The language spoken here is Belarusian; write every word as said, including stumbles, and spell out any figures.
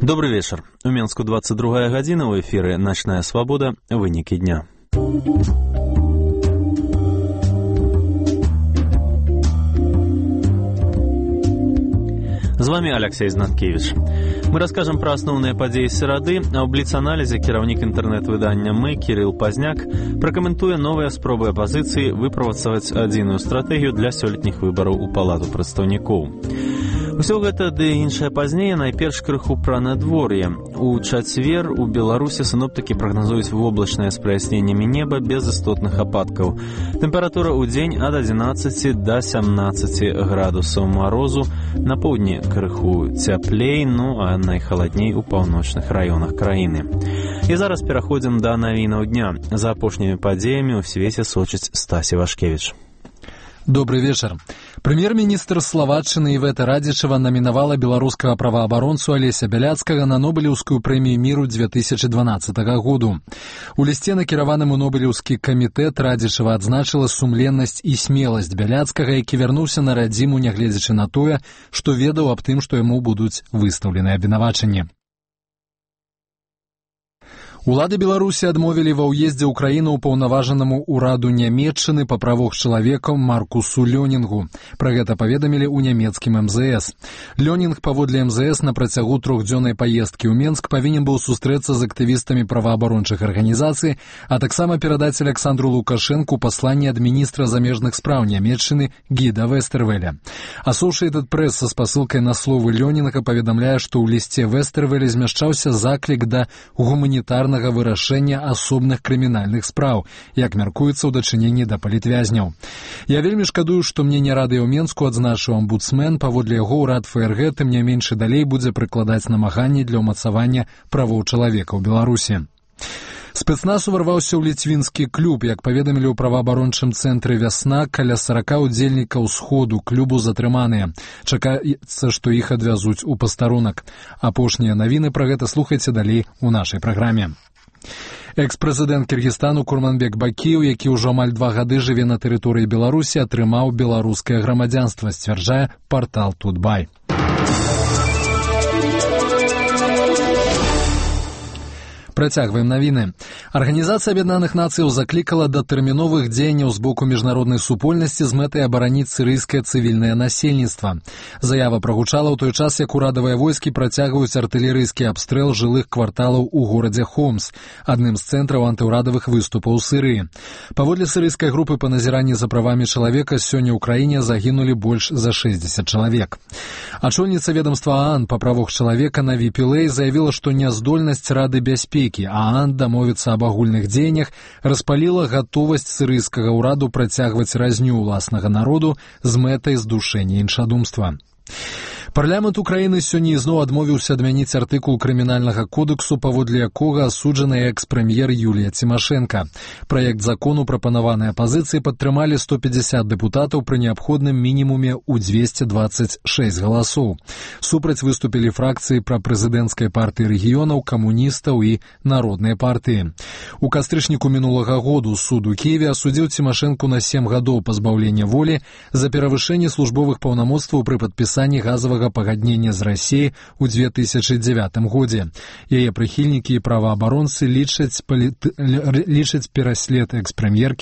Добрый вечер. У Менску двадцать другая гадзіна, у эфіры «Ночная свобода. Вынікі дня». З вами Алексей Знаткевич. Мы расскажем про основные подеи серады, а ў бліц-аналізе кіраўнік інтэрнэт-выдання «Мы» Кирилл Пазняк пракаментуе новыя спробы апазіцыі выправацаваць адзіную стратэгію для сёлетніх выбараў у палату прадстаўнікоў. Усё гэта ды іншае пазней, найперш крыху пра надвор'е. У чацвер у Беларусі сіноптыкі прагназуюць воблачнае з праясненнямі неба без істотных ападкаў. Тэмпература ў дзень ад адзінаццаці да сямнаццаці градусаў марозу, на поўдні крыху цяплей, ну а найхаладней у паўночных раёнах краіны. І зараз пераходзім да навінаў дня. За апошнімі падзеямі ў свеце сочыць Стась Івашкевіч. Добрый вечер. Премьер-министр Словаччины Івета Радзічева намінавала беларускага праваабаронцу Алеся Бяляцкага на Нобелеўскую прэмію міру две тысячи дванаццатага году. У лісце, накіраваным у Нобелеўскі камітэт, Радзічева адзначыла сумленнасць і смеласць Бяляцкага, які вярнуўся на радзіму, нягледзячы на тое, што ведаў аб тым, што яму будуць выстаўлены абвінавачанні. Улады Беларусі адмовілі ва ўездзе ў краіну ўпаўнаважанаму ўраду Нямецчыны па правах чалавека Маркусу Лёнінгу. Пра гэта паведамілі ў нямецкім эм зэ эс. Лёнінг паводле эм зэ эс на працягу трохдзённай паездкі ў Менск павінен быў сустрэцца з актывістамі праваабарончых арганізацый, а таксама перадаць Александру Лукашэнку пасланне ад міністра замежных спраў Нямецчыны Гіда Вестэрвеля. Associated Press са спасылкай на словы Лёнінга паведамляе, што ў лісце Вестэрвеля змяшчаўся заклік да гуманітарнага вырашэння асобных крымінальных спраў, як мяркуецца ў дачыненні да палітвязняў. Я вельмі шкадую, што мне не рады ў Менску, адзначыў омбудсмен. Паводле яго ўрад эф эр гэ тым не менш і далей будзе прыкладаць намаганні для ўмацавання правоў чалавека ў Беларусі. Спецназ уварваўся ў ліцвінскі клуб. Як паведамілі ў праваабарончым цэнтры «Вясна», каля сорока удзельнікаў сходу клубу затрыманыя. Чакаецца, што іх адвязуць у пастарунак. Апошнія навіны пра гэта слухайце далей у нашай праграме. Экс-прэзідэнт Кіргізстану Курманбек Бакіеў, які ўжо амаль два гады жыве на тэрыторыі Беларусі, атрымаў беларускае грамадзянства, сцвярджае партал Тутбай. Працягваем навіны. Арганізацыя Аб'яднаных Нацыяў заклікала да тэрміновых дзеянняў з боку міжнароднай супольнасці з мэтай абараніць сірыйскае цывільнае насельніцтва. Заява прагучала ў той час, як урадавыя войскі працягваюць артылерыйскі абстрэл жылых кварталаў у горадзе Хомс, адным з цэнтраў антыўрадавых выступаў Сірыі. Паводле сірыйскай групы па назіранні за правамі чалавека сёння ў краіне загінулі больш за шэсцьдзесят чалавек. Ачольніца ведомства ААН па правах чалавека Наві Пілэй заявіла, што няздольнасць Рады бяспекі ААН дамовіцца аб агульных дзеяннях распаліла гатовасць сірыйскага ўраду працягваць разню ўласнага народу з мэтай здушэння іншадумства. Парламент Украіны сёння ізноў адмовіўся адмяніць артыкул крымінальнага кодексу, паводле якога асуджаная экс-прэм'ер Юлія Цімашэнка. Праект закону, прапанаваны апазіцыяй, падтрымалі сто пятьдесят дэпутатаў пры неабходным мінімуме ў двести двадцать шесть галасоў. Супраць выступілі фракцыі прапрэзідэнцкай партыі рэгіёнаў, камуністаў і народнай партыі. У кастрычніку мінулага году суд у Кіеве асудзіў Цімашэнку на сем гадоў пазбаўлення волі за перавышэнне службовых паўнамоцтваў пры падпісанні газавага пагаднення з Расіяй у две тысячи дзевятым годзе. Яе прыхільнікі і праваабаронцы лічаць, палі... лічаць пераслед экс-прэм'еркі